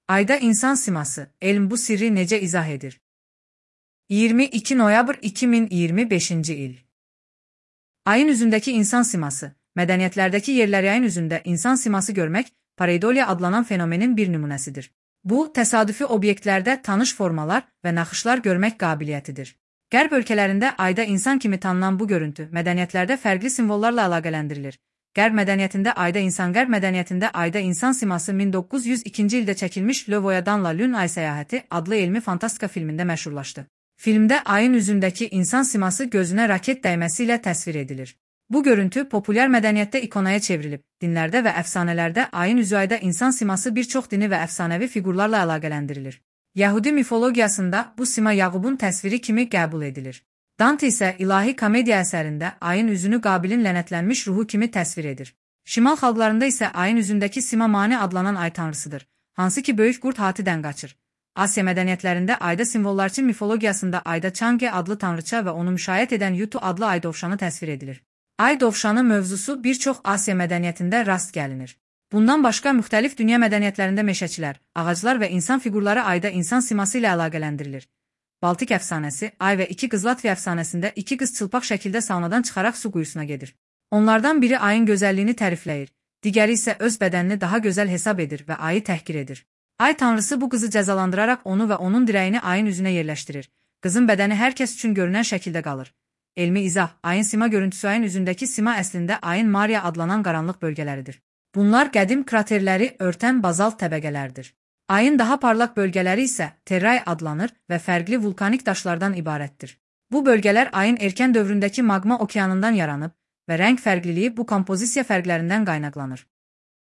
Ayda insan siması, elm bu sirri necə izah edir? 22 noyabr 2025 il. Ayın üzündəki insan siması, mədəniyyətlərdəki yerləri ayın üzündə insan siması görmək, pareidolia adlanan fenomenin bir nümunəsidir. Bu, təsadüfi obyektlərdə tanış formalar və naxışlar görmək qabiliyyətidir. Qərb ölkələrində ayda insan kimi tanınan bu görüntü, mədəniyyətlərdə fərqli simvollarla əlaqələndirilir. Qərb mədəniyyətində ayda insan siması 1902-ci ildə çəkilmiş Le Voyage'dan Lune ay səyahəti adlı elmi fantastika filmində məşhurlaşdı. Filmdə ayın üzündəki insan siması gözünə raket dəyməsi ilə təsvir edilir. Bu görüntü populyar mədəniyyətdə ikonaya çevrilib. Dinlərdə və əfsanələrdə ayın üzü ayda insan siması bir çox dini və əfsanəvi fiqurlarla əlaqələndirilir. Yəhudi mifologiyasında bu sima Yaqubun təsviri kimi qəbul edilir. Dante isə ilahi komediya əsərində ayın üzünü Qabilin lənətlənmiş ruhu kimi təsvir edir. Şimal xalqlarında isə ayın üzündəki sima Mani adlanan ay tanrısıdır, hansı ki böyük qurd Hatidən qaçır. Asiya mədəniyyətlərində ayda simvollarçı mifologiyasında ayda Çange adlı tanrıça və onu müşayiət edən Yutu adlı ay dovşanı təsvir edilir. Ay dovşanı mövzusu bir çox Asiya mədəniyyətində rast gəlinir. Bundan başqa müxtəlif dünya mədəniyyətlərində meşəçilər, ağaclar və insan fiqurları ayda insan siması ilə əlaqələndirilir. Baltik əfsanəsi, Ay və iki qız Latviya əfsanəsində iki qız çılpaq şəkildə saunadan çıxaraq su quyusuna gedir. Onlardan biri ayın gözəlliyini tərifləyir, digəri isə öz bədənini daha gözəl hesab edir və ayı təhqir edir. Ay tanrısı bu qızı cəzalandıraraq onu və onun dirəyini ayın üzünə yerləşdirir. Qızın bədəni hər kəs üçün görünən şəkildə qalır. Elmi izah, ayın sima görüntüsü ayın üzündəki sima əslində ayın Maria adlanan qaranlıq bölgələridir. Bunlar qədim kraterləri örtən bazalt təbəqələrdir. Ayın daha parlaq bölgələri isə terray adlanır və fərqli vulkanik daşlardan ibarətdir. Bu bölgələr ayın erkən dövründəki maqma okeanından yaranıb və rəng fərqliliyi bu kompozisiya fərqlərindən qaynaqlanır.